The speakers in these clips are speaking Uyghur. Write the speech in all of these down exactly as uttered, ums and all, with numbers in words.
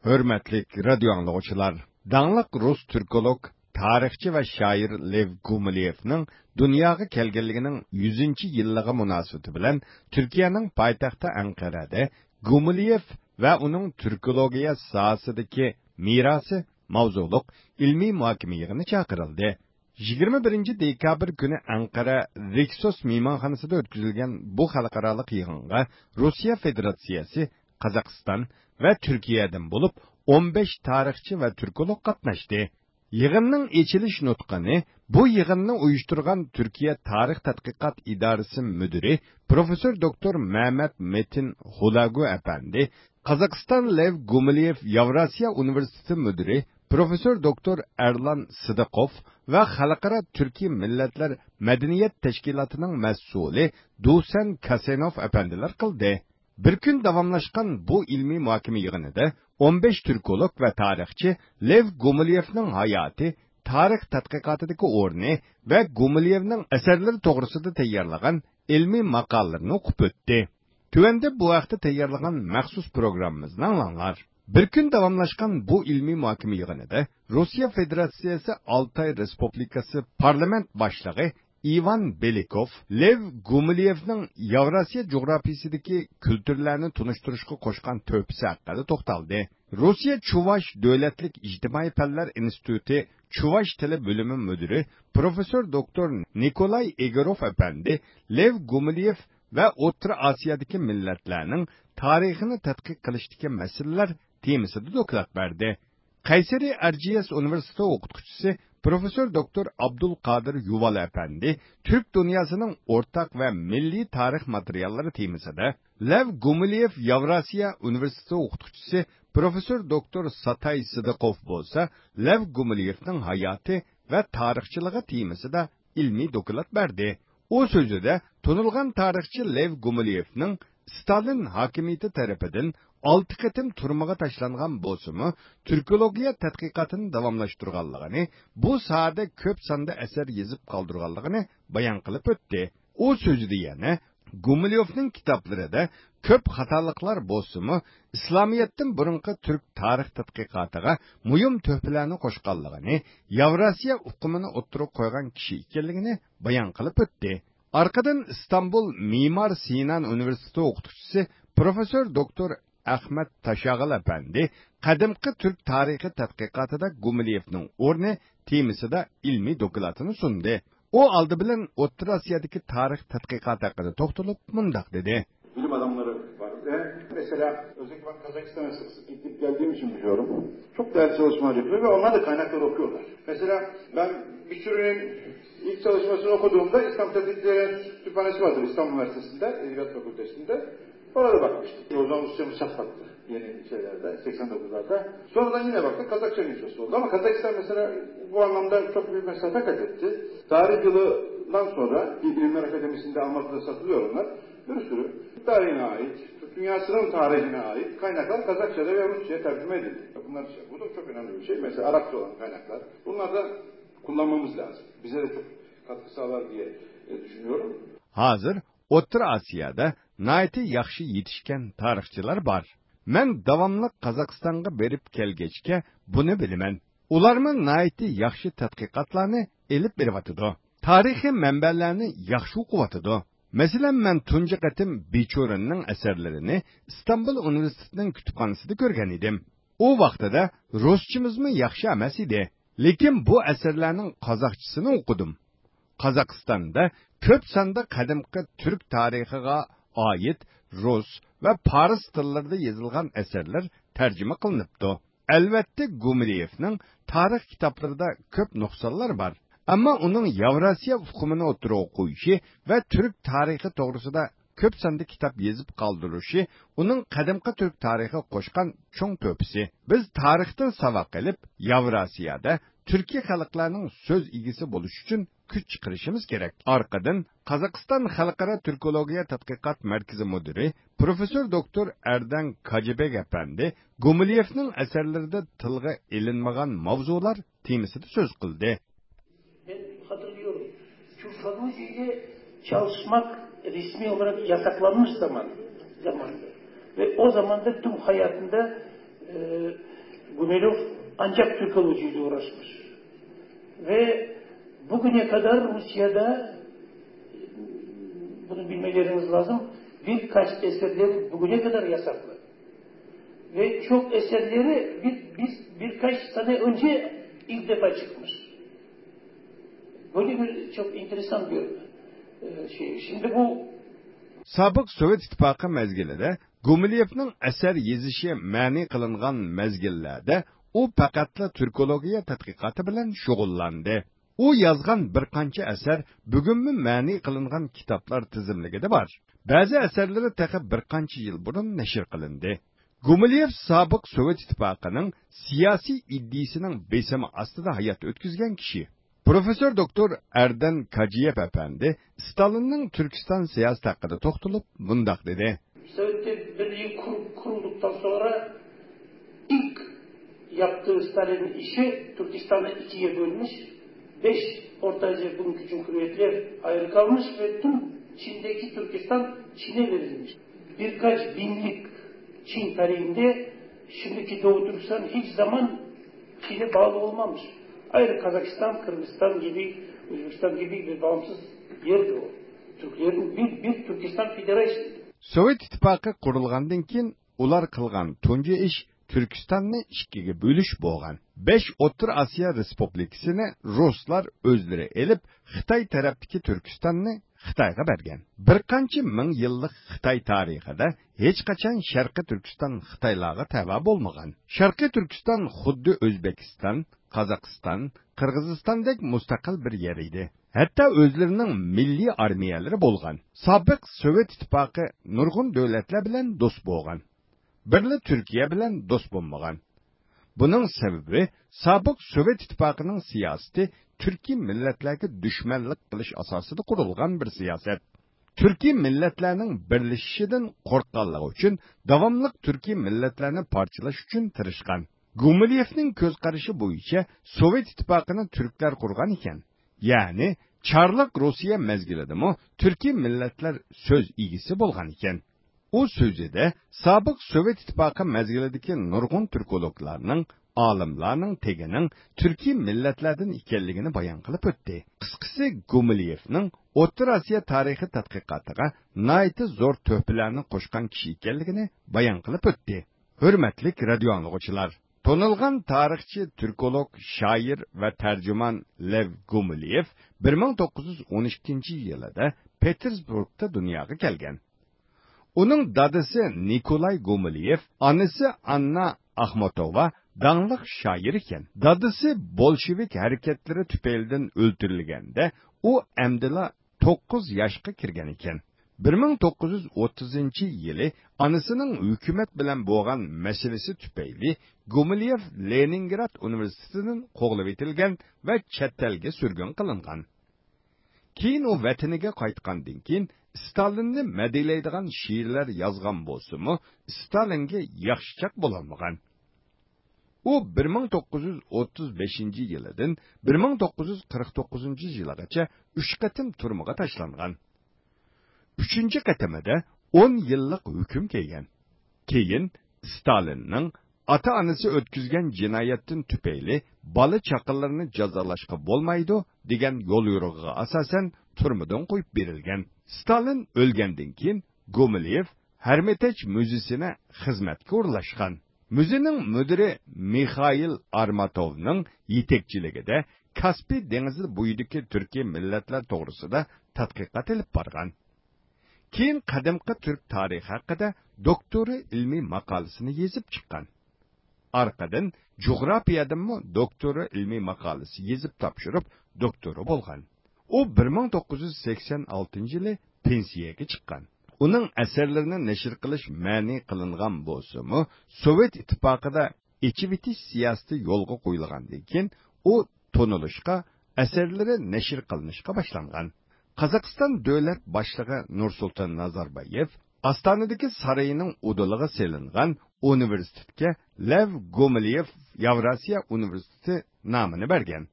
ھۆرمەتلىك رادىيو ئاڭلىغۇچىلار، داڭلىق رۇس تۈركولوگ، تارىخچى ۋە شائىر لېۋ گۇمىليېۋنىڭ دۇنياغا كەلگەنلىكىنىڭ يۈزىنچى يىللىقى مۇناسىۋىتى بىلەن تۈركىيەنىڭ پايتەختى ئەنقەرەدە گۇمىليېۋ ۋە ئۇنىڭ تۈركولوگىيە ساھەسىدىكى مىراسى ماۋزۇلۇق ئىلمىي مۇھاكىمە يىغىنى چاقىرىلدى. يىگىرمە بىرىنچى دېكابىر كۈنى ئەنقەرە رىكسوس مېھمانخانىسىدا ئۆتكۈزۈلگەن بۇ خەلقئارالىق يىغىنغا روسىيە فېدېراتسىيەسى، قازاقىستان ۋە تۈركىيەدىن بولۇپ ئون بەش تارىخچى ۋە تۈركولوگ قاتناشتى. يىغىننىڭ ئېچىلىش نۇتقىنى بۇ يىغىننى ئۇيۇشتۇرغان تۈركىيە تارىخ تەتقىقات ئىدارىسى مۇدىرى پروفېسسور دوكتور مەمەت مېتىن خۇلاگۇ ئەپەندى، قازاقىستان لېۋ گۇمىليېۋ ياۋراسىيە ئۇنىۋېرسىتېتى مۇدىرى پروفېسسور دوكتور ئەرلان سىدىقوف ۋە خەلقئارا تۈركىي مىللەتلەر مەدەنىيەت تەشكىلاتىنىڭ مەسئۇلى دوسەن كاسېنوف ئەپەندىلەر قىلدى. بىر كۈن داۋاملاشقان بۇ ئىلمىي مۇھاكىمە يىغىنىدا ئون بەش تۈركولوگ ۋە تارىخچى لېۋ گۇمىليېۋنىڭ ھاياتى، تارىخ تەتقىقاتىدىكى ئورنى ۋە گۇمىليېۋنىڭ ئەسەرلىرى توغرىسىدا تەييارلىغان ئىلمىي ماقالىلىرىنى ئوقۇپ ئۆتتى. تۆۋەندە بۇ ھەقتە تەييارلىغان مەخسۇس پروگراممىمىزنى ئاڭلاڭلار. بىر كۈن داۋاملاشقان بۇ ئىلمىي مۇھاكىمە يىغىنىدا روسىيە فېدېراتسىيەسى ئالتاي رېسپۇبلىكىسى پارلامېنت باشلىقى ئىۋان بېلىكوف لېۋ گۇمىليېۋنىڭ ياۋراسىيە جۇغراپىيىسىدىكى كۈلتۈرلەرنى تونۇشتۇرۇشقا قوشقان تۆھپىسى ھەققىدە توختالدى. روسىيە چۇۋاش دۆلەتلىك ئىجتىمائىي پەنلەر ئىنستىتۇتى چۇۋاش تىلى بۆلۈمى مۇدىرى پروفېسسور دوكتور نىكولاي ئېگوروف ئەپەندى لېۋ گۇمىليېف ۋە ئوتتۇرا ئاسىيادىكى مىللەتلەرنىڭ تارىخىنى تەتقىق قىلىشتىكى مەسىلىلەر تېمىسىدا دوكلات بەردى. قەيسەرى ئەر جى ئېس ئۇنىۋېرسىتېتى ئوقۇتقۇچىسى پروفېسسور دوكتور ئابدۇلقادىر يۇۋال ئەپەندى تۈرك دۇنياسىنىڭ ئورتاق ۋە مىللىي تارىخ ماتېرىياللىرى تېمىسىدا، لەۋ گۇمىليېۋ ياۋراسىيە ئۇنىۋېرسىتېتى ئوقۇتقۇچىسى پروفېسسور دوكتور ساتاي سىدىقوف بولسا لەۋ گۇمىليېۋنىڭ ھاياتى ۋە تارىخچىلىقى تېمىسىدا ئىلمىي دوكلات بەردى. ئۇ سۆزىدە تونۇلغان تارىخچى لېۋ گۇمىليېۋنىڭ ستالىن ھاكىمىيىتى تەرىپىدىن ئالتە قېتىم تۈرمىگە تاشلانغان بولسىمۇ، تۈركولوگىيە تەتقىقاتىنى داۋاملاشتۇرغانلىقىنى، بۇ ساھەدە كۆپ ساندا ئەسەر يېزىپ قالدۇرغانلىقىنى بايان قىلىپ ئۆتتى. ئۇ سۆزىدە يەنە گۇمىليوفنىڭ كىتابلىرىدا كۆپ خاتالىقلار بولسىمۇ، ئىسلامىيەتتىن بۇرۇنقى تۈرك تارىخ تەتقىقاتىغا مۇھىم تۆھپىلەرنى قوشقانلىقىنى، ياۋراسىيە ئۇقۇمىنى ئوتتۇرىغا قويغان كىشى ئىكەنلىكىنى بايان قىلىپ ئۆتتى. ئارقىدىن ئىستانبۇل مىمار سىنان ئۇنىۋېرسىتېتى ئوقۇتقۇچىسى پروفېسسور دوكتور ئەخمەت تاشاغىل ئەپەندى قەدىمكى تۈرك تارىخى تەتقىقاتىدا گۇمىليېۋنىڭ ئورنى تېمىسىدا ئىلمىي دوكلاتىنى سۇندى. ئۇ ئالدى بىلەن ئوتتۇرا ئاسىيادىكى تارىخ تەتقىقاتى ھەققىدە توختىلىپ مۇنداق دېدى. Bilim adamları var. Ve mesela özellikle ben Kazakistan'a sık sık gidip geldiğim için biliyorum. Çok değerli çalışmalar yapıyor ve onlar da kaynakları okuyorlar. Mesela ben bir sürünün ilk çalışmasını okuduğumda İslam Tetkikleri Kütüphanesi vardır İstanbul Üniversitesi'nde, Edebiyat Fakültesi'nde. Orada bakmıştık. O zaman Rusçamız çatlaktı yeni şeylerde, seksen dokuzlarda. Sonradan yine baktık, Kazakça nüshası oldu. Ama Kazakistan mesela bu anlamda çok büyük mesafe kat etti. Tarih yılından sonra bir Bilimler Akademisi'nde Almatı'da satılıyor onlar. Bir sürü tarihine ait, Türk dünyasının tarihine ait kaynaklar Kazakça'da ve Rusça'ya tercüme edildi. Bunlar şey, bu da çok önemli bir şey. Mesela Arapça olan kaynaklar. Bunlar da kullanmamız lazım. Bize de çok katkı sağlar diye e, düşünüyorum. ھازىر ئوتتۇرا ئاسىيادا ناھايىتى ياخشى يېتىشكەن تارىخچىلار بار. مەن داۋاملىق قازاقىستانغا بېرىپ كەلگەچكە بۇنى بىلىمەن. ئۇلارمۇ ناھايىتى ياخشى تەتقىقاتلارنى ئېلىپ بېرىۋاتىدۇ. تارىخىي مەنبەلەرنى ياخشى ئوقۇۋاتىدۇ. مەسىلەن، مەن تۇنجى قېتىم بىچۇرىننىڭ ئەسەرلىرىنى ئىستانبۇل ئۇنىۋېرسىتېتىنىڭ كۇتۇپخانىسىدا كۆرگەن ئىدىم. ئۇ ۋاقتىدا رۇسچىمىزمۇ ياخشى ئەمەس ئىدى. لېكىن بۇ ئەسەرلەرنىڭ قازاقچىسىنى ئوقۇدۇم. قازاقىستاندا كۆپ ساندا قەدىمكى تۈرك تارىخىغا ئائىت رۇس ۋە پارس تىللىرىدا يېزىلغان ئەسەرلەر تەرجىمە قىلىنىپتۇ. ئەلۋەتتە، گۇمىليېۋنىڭ تارىخ كىتابلىرىدا كۆپ نۇقسانلار بار. ئەمما ئۇنىڭ ياۋراسىيە ئۇقۇمىنى ئوتتۇرىغا قويۇشى ۋە تۈرك تارىخى توغرىسىدا كۆپ ساندا كىتاب يېزىپ قالدۇرۇشى ئۇنىڭ قەدىمكى تۈرك تارىخىغا قوشقان چوڭ تۆھپىسى. بىز تارىختىن ساۋاق ئېلىپ، ياۋراسىيادا تۈركىي خەلقلەرنىڭ سۆز ئىگىسى بولۇشى ئۈچۈن كۈچ چىقىرىشىمىز كېرەك. ئارقىدىن، قازاقىستان خەلقئارا تۈركولوگىيە تەتقىقات مەركىزى مۇدىرى پروفېسسور دوكتور ئەردەن كاجىبېگ ئەپەندى گۇمىليېۋنىڭ ئەسەرلىرىدە تىلغا ئېلىنمىغان ماۋزۇلار تېمىسىدا سۆز قىلدى. Ben hatırlıyorum. Türkolojiyle çalışmak resmi olarak yasaklanmış zaman, zamanında. Ve o zamanda tüm hayatında e, Gumilyev ancak Türkolojiyayla uğraşmış. Ve bugüne kadar Rusya'da, bunu bilmeleriniz lazım, birkaç eserleri bugüne kadar yasaklı. Ve çok eserleri bir, biz, birkaç sene önce ilk defa çıkmış. Böyle bir çok enteresan bir e, şey. Şimdi bu سابىق سوۋېت ئىتتىپاقى مەزگىلىدە گۇمىليېۋنىڭ ئەسەر يېزىشى مەنئى قىلىنغان مەزگىللەردە ئۇ پەقەتلا تۈركولوگىيە تەتقىقاتى بىلەن شۇغۇللاندى. ئۇ يازغان بىر قانچە ئەسەر بۈگۈنمۇ مەنئى قىلىنغان كىتابلار تىزىملىكىدە بار. بەزى ئەسەرلىرى تېخى بىر قانچە يىل بۇرۇن نەشر قىلىندى. گۇمىليېۋ سابىق سوۋېت ئىتتىپاقىنىڭ سىياسىي ئىدىيىسىنىڭ بېسىمى ئاستىدا ھايات ئۆتكۈزگەن كىشى. پروفېسسور دوكتور ئەردەن كاجىيېۋ ئەپەندى ستالىننىڭ تۈركىستان سىياسىتى ھەققىدە توختىلىپ مۇنداق دېدى. Sovetler Birliği kur- kurulduktan sonra ilk yaptığı Stalin'in işi Türkistan'ı ikiye bölmüş, beş Orta Asya bugünkü cumhuriyetler ayrı kalmış ve tüm Çin'deki Türkistan Çin'e verilmiş. Birkaç binlik Çin tarihinde şimdiki Doğu Türkistan hiç zaman Çin'e bağlı olmamış. Ayrı Kazakistan, Kırgızistan gibi, Özbekistan gibi bir bağımsız yerdi o. Türklerin bir, bir Türkistan Federasyonu. سوۋېت ئىتتىپاقى قۇرۇلغاندىن كېيىن ئۇلار قىلغان تۇنجى ئىش تۈركىستاننى ئىككىگە بۆلۈش بولغان. بەش ئوتتۇرا ئاسىيا رېسپۇبلىكىسىنى رۇسلار ئۆزلىرى ئېلىپ، خىتاي تەرەپتىكى تۈركىستاننى خىتايغا بەرگەن. بىر قانچە مىڭ يىللىق خىتاي تارىخىدا ھېچقاچان شەرقىي تۈركىستان خىتايلارغا تەۋە بولمىغان. شەرقىي تۈركىستان خۇددى ئۆزبېكىستان، قازاقىستان، قىرغىزىستاندەك مۇستەقىل بىر يەر ئىدى. ھەتتا ئۆزلىرىنىڭ مىللىي ئارمىيەلىرى بولغان. سابىق سوۋېت ئىتتىپاقى نۇرغۇن دۆلەتلەر بىلەن دوست بولغان. بىرلا تۈركىيە بىلەن دوست بولمىغان. بۇنىڭ سەۋەبى سابىق سوۋېت ئىتتىپاقىنىڭ سىياسىتى تۈركىي مىللەتلەرگە دۈشمەنلىك قىلىش ئاساسىدا قۇرۇلغان بىر سىياسەت. تۈركىي مىللەتلەرنىڭ بىرلىشىشىدىن قورققانلىقى ئۈچۈن داۋاملىق تۈركىي مىللەتلەرنى پارچىلاش ئۈچۈن تىرىشقان. گۇمىليېۋنىڭ كۆز قارىشى بويىچە سوۋېت ئىتتىپاقىنى تۈركلەر قۇرغان ئىكەن. يەنى چارلىق روسىيە مەزگىلىدىمۇ تۈركىي مىللەتلەر سۆز ئىگىسى بولغان ئىكەن. ئۇ سۆزىدە سابىق سوۋېت ئىتتىپاقى مەزگىلىدىكى نۇرغۇن تۈركولوگلارنىڭ، ئالىملارنىڭ تېگىنىڭ تۈركىي مىللەتلەردىن ئىكەنلىكىنى بايان قىلىپ ئۆتتى. قىسقىسى، گۇمىليېۋنىڭ ئوتتۇرا ئاسىيا تارىخى تەتقىقاتىغا ناھايىتى زور تۆھپىلەرنى قوشقان كىشى ئىكەنلىكىنى بايان قىلىپ ئۆتتى. ھۆرمەتلىك رادىيو ئاڭلىغۇچىلار! تونۇلغان تارىخچى، تۈركولوگ، شائىر ۋە تەرجىمان لېۋ گۇمىليېۋ بىر مىڭ توققۇز يۈز ئون ئىككىنچى يىلىدا پېتېربۇرگدا دۇنياغا كەلگەن. ئۇنىڭ دادىسى نىكولاي گۇمىليېۋ، ئانىسى ئاننا ئاخماتوۋا داڭلىق شائىر ئىكەن. دادىسى بولشېۋىك ھەرىكەتلىرى تۈپەيلىدىن ئۆلتۈرۈلگەندە، ئۇ ئەمدىلا توققۇز ياشقا كىرگەن ئىكەن. بىر مىڭ توققۇز يۈز ئوتتۇزىنچى يىلى ئانىسىنىڭ ھۆكۈمەت بىلەن بولغان مەسىلىسى تۈپەيلى گۇمىليېۋ لېنىنگراد ئۇنىۋېرسىتېتىدىن قوغلىۋېتىلگەن ۋە چەت ئەلگە سۈرگۈن قىلىنغان. كېيىن ئۇ ۋەتىنىگە قايتقاندىن كېيىن، ستالىننى مەدھىيەلەيدىغان شېئىرلار يازغان بولسىمۇ، ستالىنگە ياخشىچاق بولالمىغان. ئۇ بىر مىڭ توققۇز يۈز ئوتتۇز بەشىنچى يىلىدىن بىر مىڭ توققۇز يۈز قىرىق توققۇزىنچى يىلىغىچە ئۈچ قېتىم تۈرمىگە تاشلانغان. ئۈچىنچى قېتىمىدا ئون يىللىق ھۆكۈم كىيگەن. كېيىن ستالىننىڭ ئاتا-ئانىسى ئۆتكۈزگەن جىنايەتتىن تۈپەيلى بالا-چاقىلىرىنى جازالاشقا بولمايدۇ دېگەن يوليورۇقىغا ئاساسەن تۈرمىدىن قويۇپ بېرىلگەن. ستالىن ئۆلگەندىن كېيىن گومىليېۋ ھەرمىتاج مۇزېيسىنى خىزمەتكە ئورۇنلاشقان. مۇزېينىڭ مۇدىرى مىخائىل ئارماتوۋنىڭ يېتەكچىلىكىدە كاسپىي دېڭىزى بويىدىكى تۈركىي مىللەتلەر توغرىسىدا تەتقىقات ئېلىپ بارغان. كېيىن قەدىمكى تۈرك تارىخى ھەققىدە دوكتورا ئىلمىي ماقالىسىنى يېزىپ چىققان. ئارقىدىن جۇغراپىيەدىنمۇ دوكتورا ئىلمىي ماقالىسى يېزىپ تاپشۇرۇپ، دوكتورا بولغان. ئۇ بىر مىڭ توققۇز يۈز سەكسەن ئالتىنچى يىلى پېنسىيەگە چىققان. ئۇنىڭ ئەسەرلىرىنى نەشر قىلىش مەنئى قىلىنغان بولسىمۇ، سوۋېت ئىتتىپاقىدا ئېچىۋېتىش سىياسىتى يولغا قويۇلغاندىن كېيىن، ئۇ تونۇلۇشقا، ئەسەرلىرى نەشر قىلىنىشقا باشلانغان. قازاقىستان دۆلەت باشلىقى نۇرسۇلتان نازاربايېۋ ئاستانىدىكى سارىيىنىڭ ئۇدۇلىغا سېلىنغان ئۇنىۋېرسىتېتكە لېۋ گومىليېۋ ياۋراسىيە ئۇنىۋېرسىتېتى نامىنى بەرگەن.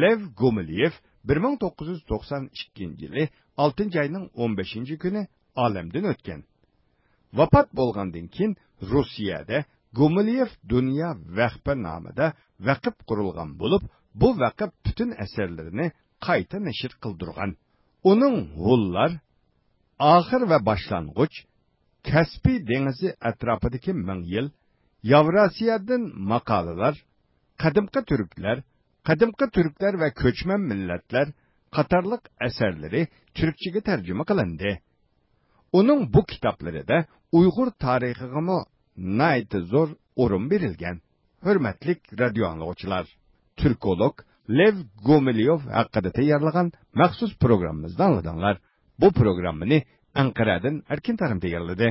لېۋ گومىليېۋ بىر مىڭ توققۇز يۈز توقسان ئىككىنچى يىلى ئالتىنچى ئاينىڭ ئون بەشىنچى كۈنى ئالەمدىن ئۆتكەن. ۋاپات بولغاندىن كېيىن، روسىيەدە گومىليېف دۇنيا ۋەخپە نامىدا ۋەقىپ قۇرۇلغان بولۇپ، بۇ ۋەقىپ پۈتۈن ئەسەرلىرىنى قايتا نەشر قىلدۇرغان. ئۇنىڭ ھونلار، ئاخىر ۋە باشلانغۇچ، كەسپىي دېڭىزى ئەتراپىدىكى مىڭ يىل، ياۋراسىيادىن ماقالىلار، قەدىمكى تۈركلەر، قەدىمكى تۈركلەر ۋە كۆچمەن مىللەتلەر قاتارلىق ئەسەرلىرى تۈركچىگە تەرجىمە قىلىندى. ئۇنىڭ بۇ كىتابلىرىدا ئۇيغۇر تارىخىغىمۇ ناھايىتى زور ئورۇن بېرىلگەن. ھۆرمەتلىك رادىيو ئاڭلىغۇچىلار، تۈركولوگ لېۋ گومىليوف ھەققىدە تەييارلىغان مەخسۇس پروگراممىمىزنى ئاڭلىدىڭلار. بۇ پروگراممىنى ئەنقەرەدىن ئەركىن تارىم تەييارلىدى.